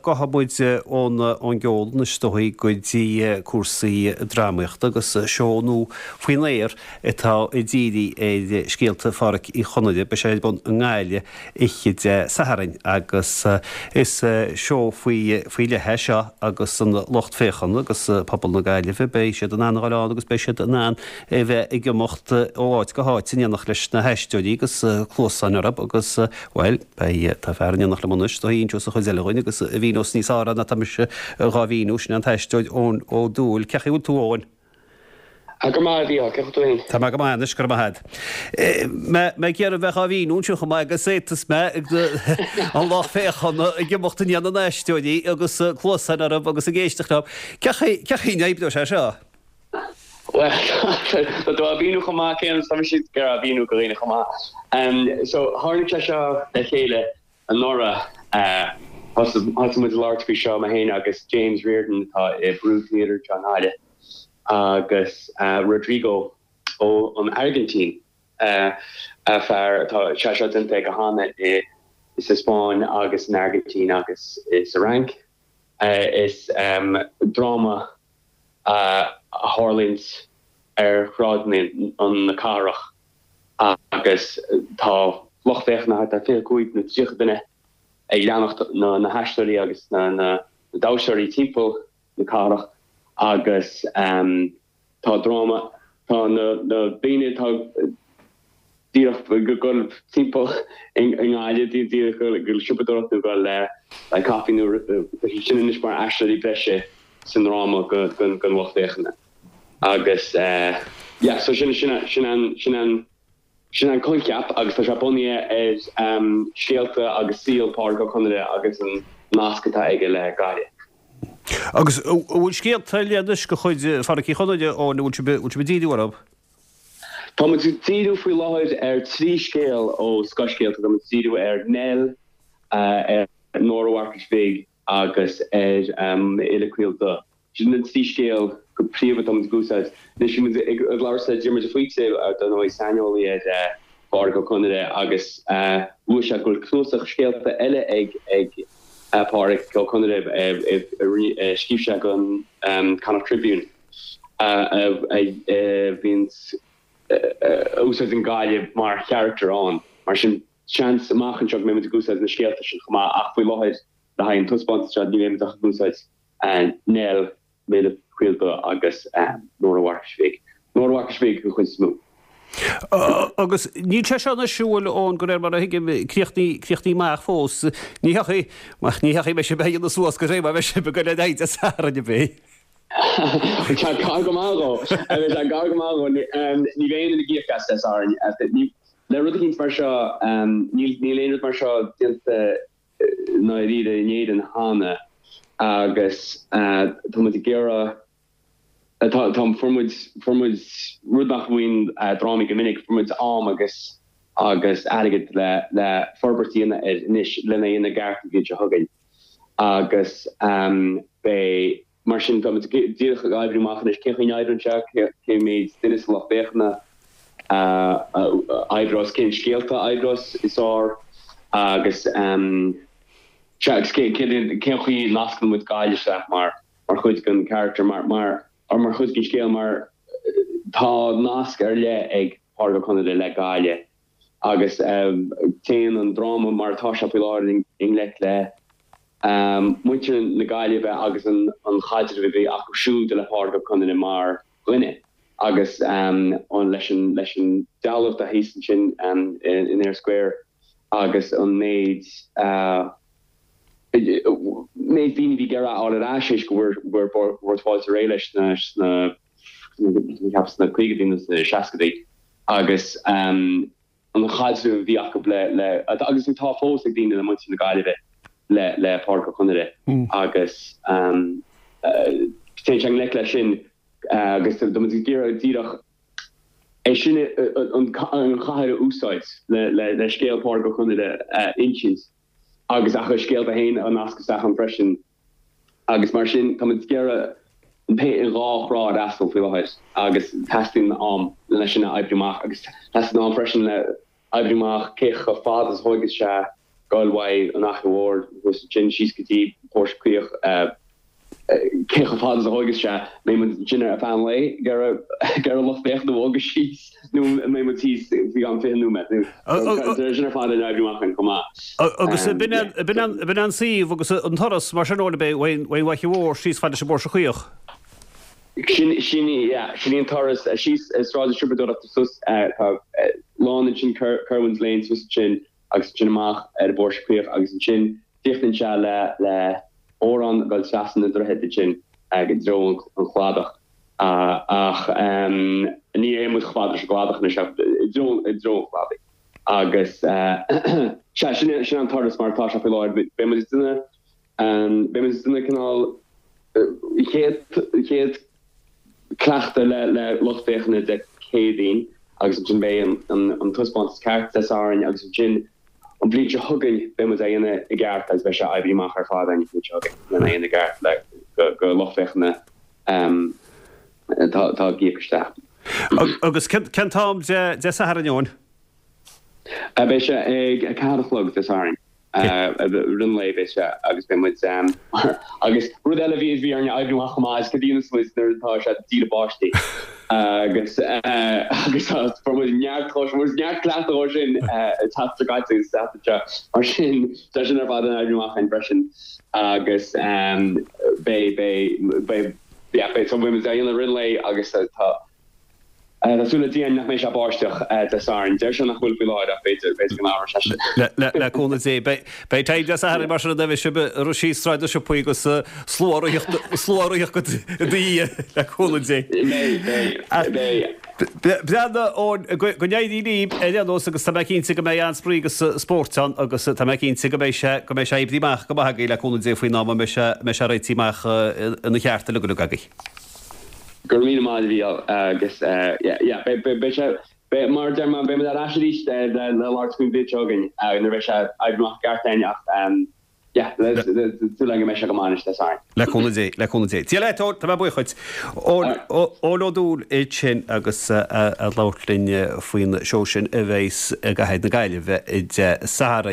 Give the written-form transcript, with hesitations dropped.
Gabhfaidh muid ón ón gceol anois is dóigh go dtí cúrsaí drámaíochta agus seó nua faoin aer atá ag díriú ar scéalta Phádhraic Uí Chonaire. Beidh sé ar bun i nGaillimh oíche Dé Sathairn agus is seó faoi faoi leith é seo agus an lucht féachana agus pobal na Gaillimhe, beidh siad in ann a dhul ann agus beidh siad in ann a bheith ag imeacht ó áit go háit in éineacht leis na haisteoirí agus cluasáin orthu agus, bhuel, beidh, tá fear in éineacht liom anois, a inseos an chuid eile dhuinn agus a mhíneos níos fearr ná tá mise dhá mhíniú, sin é an t-aisteoir Eoin Ó Dubhghaill. Cén chaoi a bhfuil tú, Eoin? Ah, go maith, a Mhícheáil, cén chaoi tú fhéin? Tá mé go maith anois, go raibh maith agat. Mé ag iarraidh bheith dhá mhíniú anseo chomh maith agus fhéadfas mé an lucht féachana ag imeacht i ndiaidh na n-aisteoirí agus cluasáin orthu agus ag éisteacht leo. Cén chaoi a n-oibreoidh sé seo? Bhuel, tá tú á mhíniú chomh maith céanna is tá mise ag iarraidh a mhíniú do dhaoine chomh maith. So, tháinig sé seo le chéile anuraidh. Thosaigh muid ag labhairt faoi seo, mé féin agus James Riordan atá i Brú Theatre anseo i nGaillimh agus Rodrigo ó an Airgintín, fear atá sé seo déanta aige cheana i sa Spáinn agus san Airgintín agus sa Fhrainc. Is dráma a tharlaíonns ar shráideanna na cathrach agus tá lucht féachana thart ar 25 nó 30 duine ag leanacht na haisteoirí agus na damhsóirí timpeall na cathrach agus Tá dráma, tá na daoine atá díreach ag dul timpeall i nGaillimh, díreach ag dul siopadóireacht nó ag dul le caife nó tá siad sin anois mar aisteoirí breise sa ndráma don lucht féachana. Agus yeah, so sin sin sin an sin an sin an coincheap agus tá sé bunaithe ar scéalta agus saol Pádraic Ó Conaire agus an nasc atá aige le Gaillimh. Agus an bhfuil scéalta eile anois de chuid Phádraic Uí Chonaire, Eoin, an bhfuil sibh, bhfuil sibh ag díriú orthu? Tá muid ag díriú faoi láthair ar thrí scéal ó Scothscéalta. Tá muid ag díriú ar Nell, ar Nóra Mharcais Bhig agus ar M'Fhile Caol Dubh. Sin na trí scéal go príomha atá muid ag úsáid. Anois bhí muid ag labhairt le Diarmuid de Faoite, dar ndóigh, saineolaí ar Phádraic Ó Conaire agus luaigh sé go bhfuil cnuasach scéalta eile ag ag Pádraic Ó Conaire a scríobh sé don Connacht Tribune a bhíonn a úsáideann Gaillimh mar charachtar ann. Mar sin, seans amach anseo go mbeidh muid ag úsáid na scéalta sin chomh maith ach faoi láthair le haghaidh an taispeántas seo ní bheidh muid ach ag úsáid Nell, M'Fhile Caol Dubh agus Nóra Mharcais Bhig. Nóra Mharcais Bhig den chuid is mó. Agus níl sé seo anois, an bhfuil, Eoin, de réir mar a thuigim, críochnaithe amach fós. Ní thiocfaidh, ní thiocfaidh mé sibh a dhéanamh suas go réidh mar bheidh sibh ag dul ar aghaidh Dé Sathairn, an mbeidh? Tá sé gar go maith dhó. Tá sé gar go maith dhó. Ní bheidh aon duine ag íoc as Dé Sathairn. Le rud eicínt mar seo, níl aon rud mar seo déanta i ndáiríre in Éirinn cheana agus tá muid ag iarraidh, tá, tá, fuair muid, fuair muid rud nach bhfaigheann drámaí go minic, fuair muid am agus, agus airgead le, le forbairt a dhéanamh air anois, lena dhéanamh i gceart an bhliain seo chugainn agus beidh, Mar sin, tá muid díreach ag oibriú amach anois cén chaoi a n-oibríonn sé, cé mhéid duine sa lucht féachana a oibreos, cén scéalta a oibreos is fearr agus sea, agus cén chaoi a nascann muid Gaillimh isteach mar chuid den charachtar, mar, or mar chuid den scéal mar tá nasc ar leith ag Pádraic Ó Conaire le Gaillimh. Agus téann an dráma mar atá sé faoi láthair i ngleic le muintir na Gaillimhe agus an chaidreamh a bhí acu siúd le Pádraic Ó Conaire mar dhuine agus leis an leis an dealbh atá thíos ansin in Eyre Square agus an méid méid daoine a bhí ag iarraidh a fháil ar ais théis go bhfuair Bord Fáilte réidh leis sna cheapas sna caogaidí nó sna seascaidí agus an chaidreamh a bhí acu le, le, agus atá fós ag daoine le muintir na Gaillimhe le, le Pádraic Ó Conaire agus téann sé i ngleic leis sin agus tá muid ag iarraidh díreach é sin an chathair a úsáid le, le, le scéal Pádraic Ó Conaire a insint agus a chuid scéalta féin a nascadh isteach ann freisin. Agus mar sin, tá muid ag iarraidh an tae i ndhá thrá a fhreastal faoi láthair agus teastaíonn am lena sin a oibriú amach agus teastaíonn am freisin le oibriú amach cé chomh fada is a thógfaidh sé. Goil uaidh an Fhaiche Mhór thuas ansin síos go dtí Póirse Caoch, cé chomh fada is a thóigeas sé, mbeidh muid ansin ar feadh an lae ag iarraidh lucht féachana a bhogadh síos nó an mbeidh muid thíos faoi cheann 20 nóiméad nó tá sin ar fad in oibriú amach againn chomh maith. Agus b'in an suíomh agus an turas mar sin Eoin, ab é ón bhFaiche Mhór síos fad leis an bPóirse Caoch? Sin í, yeah, sin í an turas síos Sráid na Siopadóireachta suas, tá lána ansin Kirwan's Lane suas ansin agus ansin amach ar an bPóirse Caoch agus ansin críochnaíonn sé le le bodhrán ag dul trasna na droichead ansin i dtreo an chladach ach ní théann muid chomh fada leis an gcladach anois ach i dtreo i dtreo an chladaigh agus sea sin sin an turas mar atá sé faoi láthair. Beidh muid ag déanamh beidh muid ag déanamh cineál chéad chéad cleachtadh le le lucht féachana Dé Céadaoin agus ansin beidh an an an taispeántas ceart Dé Sathairn agus ansin An bhliain seo chugainn beidh muid á dhéanamh i gceart agus beidh sé oibrithe amach ar fad againn an bhliain seo chugainn lena dhéanamh i gceart le go lucht féachana atá ag íoc isteach. Agus cén t-am Dé Sathairn, Eoin? Beidh sé ag 4 a chlog Dé Sathairn. I rith an lae beidh sé agus beidh muid agus rud eile a bhí bhí orainn a oibriú amach chomh maith is cad a dhéanfas muid nuair atá sé ag díriú báistí agus agus tá fuair muid neart dhó sin neart cleachtadh dhó sin an tseachtain seo caite agus an tseachtain seo mar sin tá sin ar fad in oibriú amach againn freisin agus beidh beidh beidh yeah beidh so beidh muid á dhéanamh i rith an lae agus tá Tá súil le Dia nach mbeidh sé ag báisteach Dé Sathairn. Deir sé nach bhfuil faoi láthair ach b'fhéidir, b'fhéidir go n-athróidh sé sin. Le cúnamh Dé. Beidh time Dé Sathairn mar sin an bheidh sibh ag rith síos Sráid na Siopaí agus slua ag ritheacht, slua ag ritheacht i do dhiaidh, le cúnamh Dé. Beidh, beidh, beidh. Breathnaigh, Eoin, go n-éirí libh ar aon nós agus tá mé cinnte go mbeidh an-spraoi agus spórt ann agus tá mé cinnte go mbeidh sé, go mbeidh sé oibrithe amach go maith agaibh le cúnamh Dé faoin am a mbeidh sé, mbeidh sé réitithe amach ina cheart uilig uilig agaibh. Go raibh míle maith a Mhícheáil agus yeah beidh sé beidh mar a deir mé beidh muid ar ais arís le labhairt faoin bhliain seo chugainn nuair a bheidh sé oibrithe amach i gceart againn ach yeah súil agam go mbeidh sé go maith anois Dé Sathairn. Le cúnamh Dé, le cúnamh Dé. Dia leat Eoin, tá mé buíoch dhuit. Eoin Ó Dúill ansin agus ag labhairt linn faoin seó sin a bheas i gcathair na Gaillimhe Dé Sathairn.